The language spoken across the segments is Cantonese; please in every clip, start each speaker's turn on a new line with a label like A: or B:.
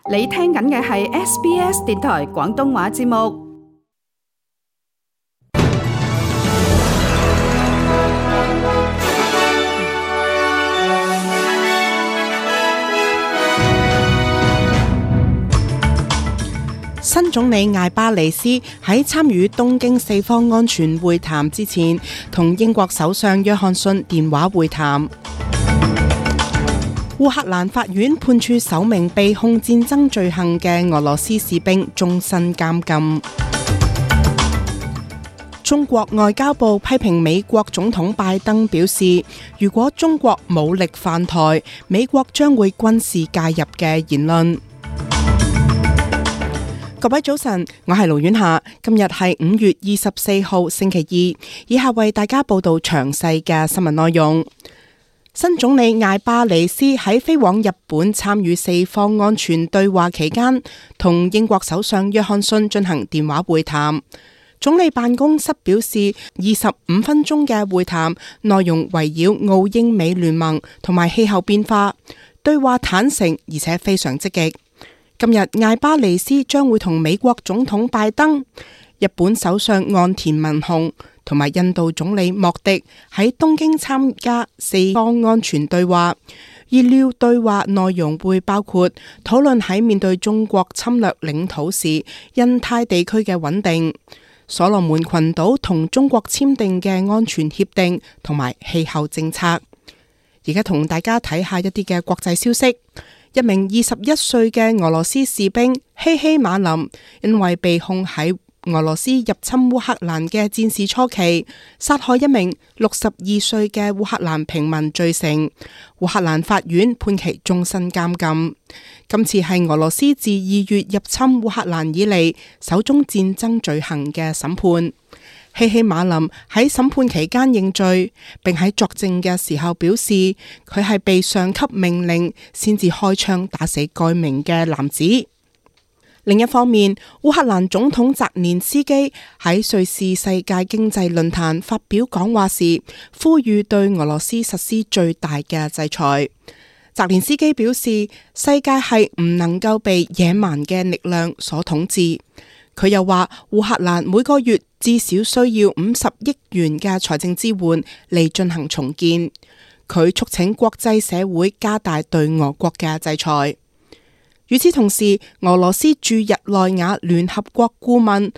A: 你聽緊嘅係 SBS 電台廣東話節目。
B: 新總理艾巴尼斯喺參與東京四方安全會談之前，同英國首相約翰遜電話會談。烏克蘭法院判處首名被控戰爭罪行嘅俄羅斯士兵終身監禁。中國外交部批評美國總統拜登表示，如果中國武力犯台，美國將會軍事介入嘅言論。各位早晨，我係盧婉霞，今日係5月24號星期二，以下為大家報道詳細嘅新聞內容。新總理艾巴尼斯喺飛往日本參與四方安全對話期間，同英國首相約翰遜進行電話會談。總理辦公室表示，25分鐘嘅會談內容圍繞澳英美聯盟同埋氣候變化，對話坦誠而且非常積極。今日艾巴尼斯將會同美國總統拜登、日本首相岸田文雄同埋印度總理莫迪喺東京參加四方安全對話。預料對話內容會包括討論喺面對中國侵略領土時，印太地區嘅穩定、所羅門群島同中國簽訂嘅安全協定同埋氣候政策。而家同大家睇下一啲嘅國際消息。一名21歲嘅俄羅斯士兵希希馬林，因為被控喺俄羅斯入侵烏克蘭嘅戰事初期殺害一名62歲嘅烏克蘭平民罪成，烏克蘭法院判其終身監禁。今次係俄羅斯自2月入侵烏克蘭以嚟首宗戰爭罪行嘅審判。希希馬林喺審判期間認罪，並喺作證嘅時候表示，佢係被上級命令先至開槍打死該名嘅男子。另一方面，烏克蘭總統澤連斯基喺瑞士世界經濟論壇發表講話時，呼籲對俄羅斯實施最大嘅制裁。澤連斯基表示，世界係唔能夠被野蠻嘅力量所統治。佢又話，烏克蘭每個月至少需要50億元嘅財政支援嚟進行重建。佢促請國際社會加大對俄國嘅制裁。與此同時，俄羅斯駐日內瓦聯合國顧問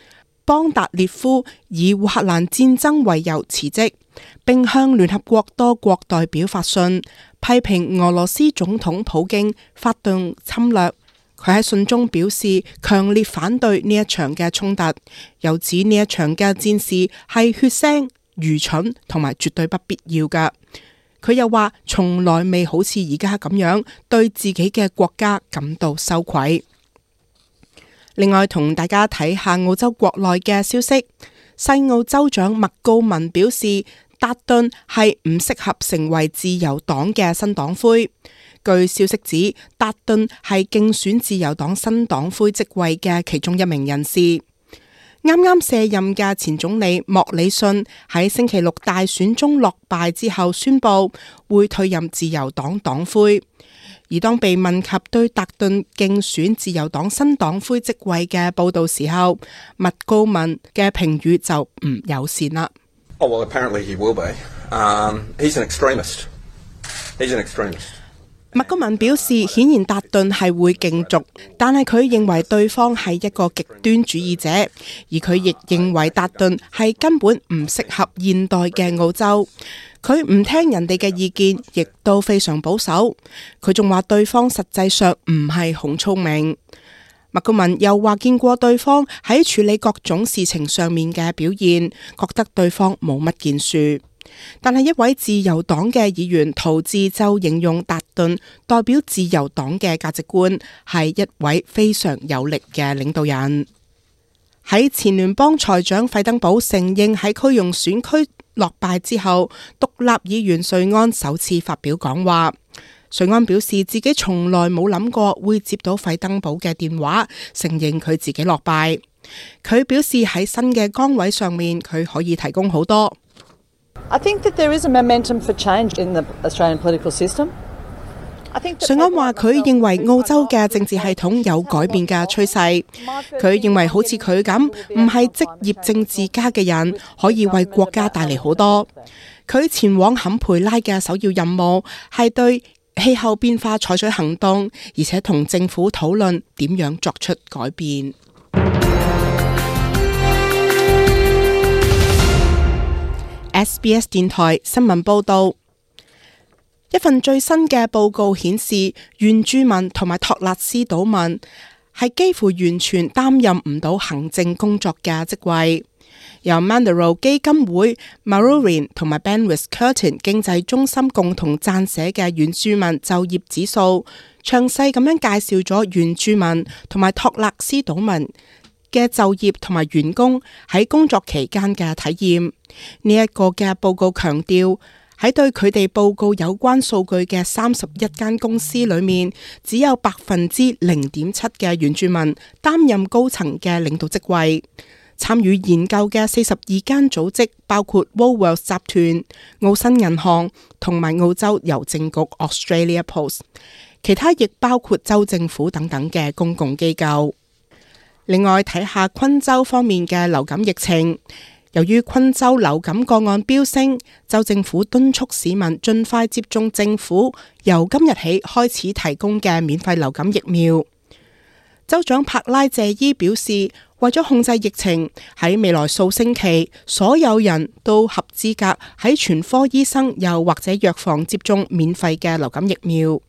B: 邦達列夫以烏克蘭戰爭為由辭職，並向聯合國多國代表發信，批評俄羅斯總統普京發動侵略。佢喺信中表示強烈反對呢一場嘅衝突，又指呢一場嘅戰事係血腥、愚蠢同埋絕對不必要㗎。佢又話從來未好似而家咁樣對自己嘅國家感到羞愧。另外同大家睇下澳洲國內嘅消息，西澳州長麥高文表示達頓係唔適合成為自由黨嘅新黨魁。據消息指，達頓係競選自由黨新黨魁職位嘅其中一名人士。啱啱卸任嘅前總理莫里遜喺星期六大選中落敗之後宣布會退任自由黨黨魁。而當被問及對達頓競選自由黨新黨魁職位嘅報道時候，麥高文嘅評語就唔友善啦。
C: Oh, well, apparently he will be. He's an extremist. He's an extremist.
B: 麥高文表示，顯然達頓係會競逐，但係佢認為對方係一個極端主義者，而佢亦認為達頓係根本唔適合現代嘅澳洲。佢唔聽人哋嘅意見，亦都非常保守。佢仲話對方實際上唔係好聰明。麥高文又話見過對方喺處理各種事情上面嘅表現，覺得對方冇乜建樹。但係一位自由黨嘅議員陶治就形容達頓代表自由黨嘅價值觀，係一位非常有力嘅領導人。喺前聯邦財長費登堡承認喺區容選區落敗之後，獨立議員瑞安首次發表講話。瑞安表示自己從來冇諗過會接到費登堡嘅電話，承認佢自己落敗。佢表示喺新嘅崗位上面，佢可以提供好多。
D: I think that there is a momentum for change in the Australian political system.
B: 瑞安話佢認為澳洲嘅政治系統有改變嘅趨勢。佢認為好似佢咁唔係職業政治家嘅人可以為國家帶嚟好多。佢前往坎培拉嘅首要任務係對氣候變化採取行動，而且同政府討論點樣作出改變。SBS 電台新聞報道，一份最新嘅報告顯示，原住民同埋托勒斯島民係幾乎完全擔任唔到行政工作嘅職位。由 Mandurah 基金會 Maroubin 同埋 Banwest-Curtin 經濟中心共同撰寫嘅原住民就業指數，詳細咁樣介紹咗原住民同埋托勒斯島民嘅就業同埋員工喺工作期間嘅體驗。呢一個嘅報告強調，喺對佢哋報告有關數據嘅31間公司裏面，只有0.7%嘅原住民擔任高層嘅領導職位。參與研究嘅42間組織包括 Woolworths 集團、澳新銀行同埋澳洲郵政局 Australia Post， 其他亦包括州政府等等嘅公共機構。另外睇下昆州方面嘅流感疫情，由於昆州流感個案飆升，州政府敦促市民盡快接種政府由今日起開始提供嘅免費流感疫苗。州長帕拉謝伊表示，為咗控制疫情，喺未來數星期，所有人都合資格喺全科醫生又或者藥房接種免費嘅流感疫苗。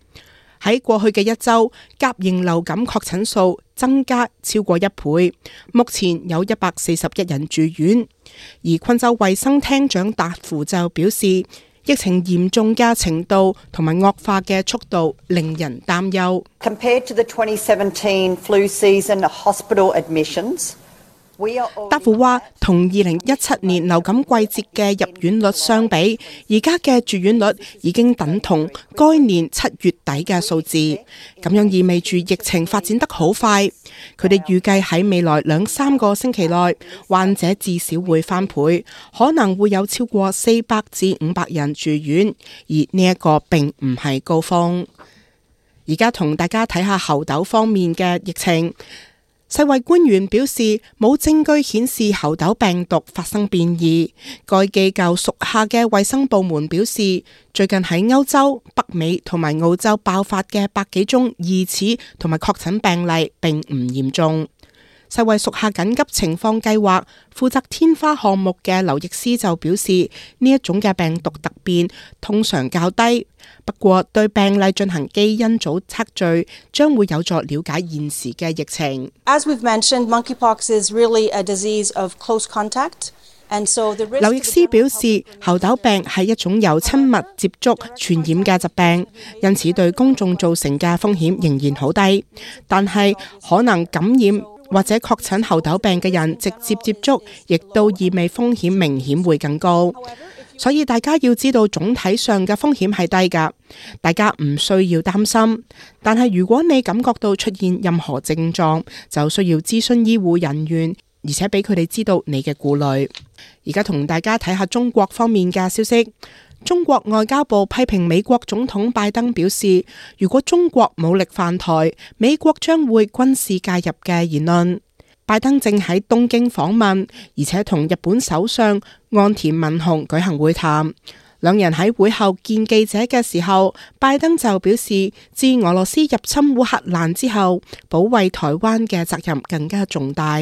B: 喺過去嘅一周，甲型流感確診數增加超過1倍，目前有141人住院。而昆州衛生廳長達芙就表示，疫情嚴重嘅程度同埋惡化嘅速度令人擔憂。
D: Compared to the 2017 flu season hospital admissions,
B: 達芙話，同2017年流感季節嘅入院率相比，而家嘅住院率已經等同該年7月底嘅數字，咁樣意味住疫情發展得好快。佢哋預計喺未來2-3個星期內，患者至少會翻倍，可能會有超過400至500人住院，而呢一個並唔係高峰。而家同大家睇下猴痘方面嘅疫情。世衛官員表示，冇證據顯示猴痘病毒發生變異。該機構屬下嘅衛生部門表示，最近喺歐洲、北美同埋澳洲爆發嘅100幾宗疑似同埋確診病例並唔嚴重。世衛屬下緊急情況計劃負責天花項目嘅劉易斯就表示，呢一種嘅病毒突變通常較低，不過對病例進行基因組測序將會有助了解現時嘅疫情。
E: As we've mentioned, monkeypox is really a disease of close contact.
B: 劉易斯表示，猴痘病係一種由親密接觸傳染嘅疾病，因此對公眾造成嘅風險仍然好低，但係可能感染或者確診猴痘病嘅人直接接觸，亦都意味風險明顯會更高。所以大家要知道總體上嘅風險係低㗎，大家唔需要擔心。但係如果你感覺到出現任何症狀，就需要諮詢醫護人員，而且俾佢哋知道你嘅顧慮。而家同大家睇下中國方面嘅消息。中國外交部批評美國總統拜登表示，如果中國武力犯台，美國將會軍事介入嘅言論。拜登正喺東京訪問，而且同日本首相岸田文雄舉行會談。兩人喺會後見記者嘅時候，拜登就表示，自俄羅斯入侵烏克蘭之後，保衛台灣嘅責任更加重大。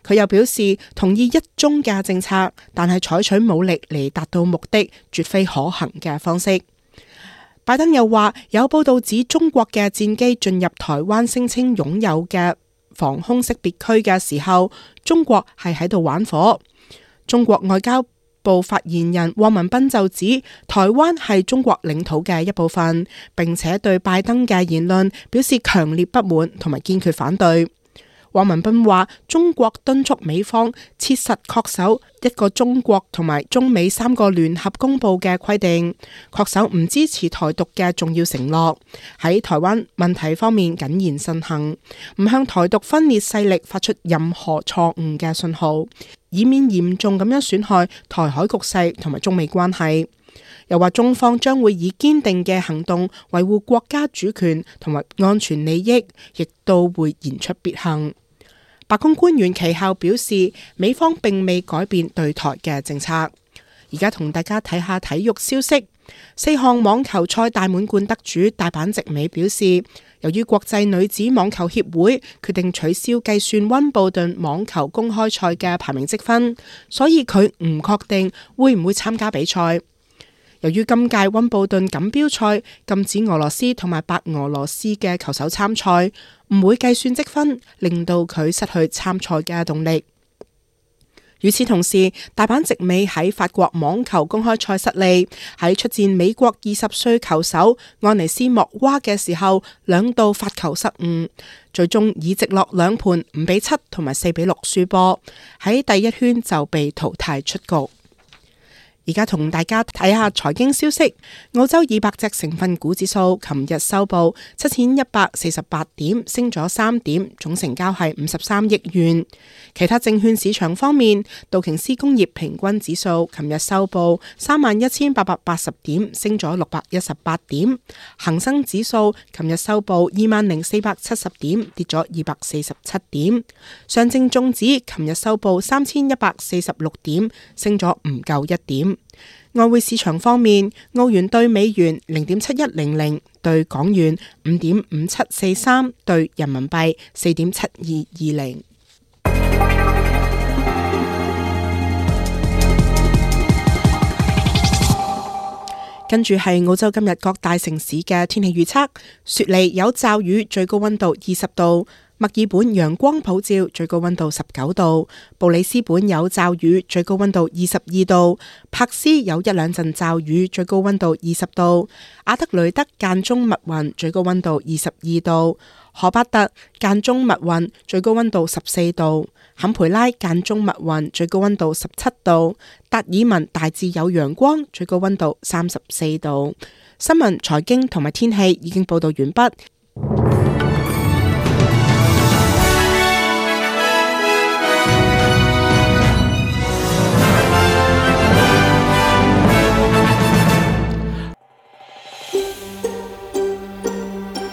B: 佢又表示同意一中嘅政策，但係採取武力嚟達到目的，絕非可行嘅方式。拜登又話，有報道指中國嘅戰機進入台灣聲稱擁有嘅防空識別區嘅時候，中國係喺度玩火。中國外交部發言人汪文斌就指，台灣係中國領土嘅一部分，並且對拜登嘅言論表示強烈不滿同埋堅決反對。汪文斌話，中國敦促美方切實恪守一個中國同埋中美3個聯合公佈嘅規定，恪守唔支持台獨嘅重要承諾，喺台灣問題方面謹言慎行，唔向台獨分裂勢力發出任何錯誤嘅信號，以免嚴重咁樣損害台海局勢同埋中美關係。又話中方將會以堅定嘅行動維護國家主權同埋安全利益，亦都會言出必行。白宮官員其後表示，美方並未改變對台嘅政策。而家同大家睇下體育消息。4項網球賽大滿貫得主大坂直美表示，由於國際女子網球協會決定取消計算溫布頓網球公開賽嘅排名積分，所以佢唔確定會唔會參加比賽。由於今屆溫布頓錦標賽禁止俄羅斯同埋白俄羅斯嘅球手參賽，唔會計算積分，令到佢失去參賽嘅動力。與此同時，大坂直美喺法國網球公開賽失利，喺出戰美國20歲球手安尼斯莫娃嘅時候，兩度發球失誤，最終以直落兩盤5-7同埋4-6輸波，喺第一圈就被淘汰出局。而家同大家睇下財經消息。澳洲200隻成分股指數琴日收報7148點，升咗3點，總成交係53億元。其他證券市場方面，道瓊斯工業平均指數琴日收報31880點，升咗618點。恒生指數琴日收報20470點，跌咗247點。上證綜指琴日收報3146點，升咗唔夠1點。外匯市場方面，澳元兌美元0.7100，兌港元5.5743，兌人民幣4.7220。跟住係澳洲今日各大城市嘅天氣預測：雪梨有驟雨，最高溫度20度；墨爾本陽光普照，最高溫度19度；布里斯本有驟雨，最高溫度22度；柏斯有一兩陣驟雨，最高溫度20度；阿德雷德間中密雲，最高溫度22度；荷巴特間中密雲，最高溫度14度；坎培拉間中密雲，最高溫度17度；達爾文大致有陽光，最高溫度34度。新聞、財經同埋天氣已經報道完畢。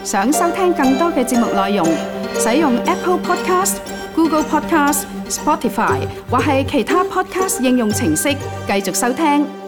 A: 想收聽更多嘅節目內容，使用 Apple Podcast、Google Podcast、Spotify 或係其他 Podcast 應用程式繼續收聽。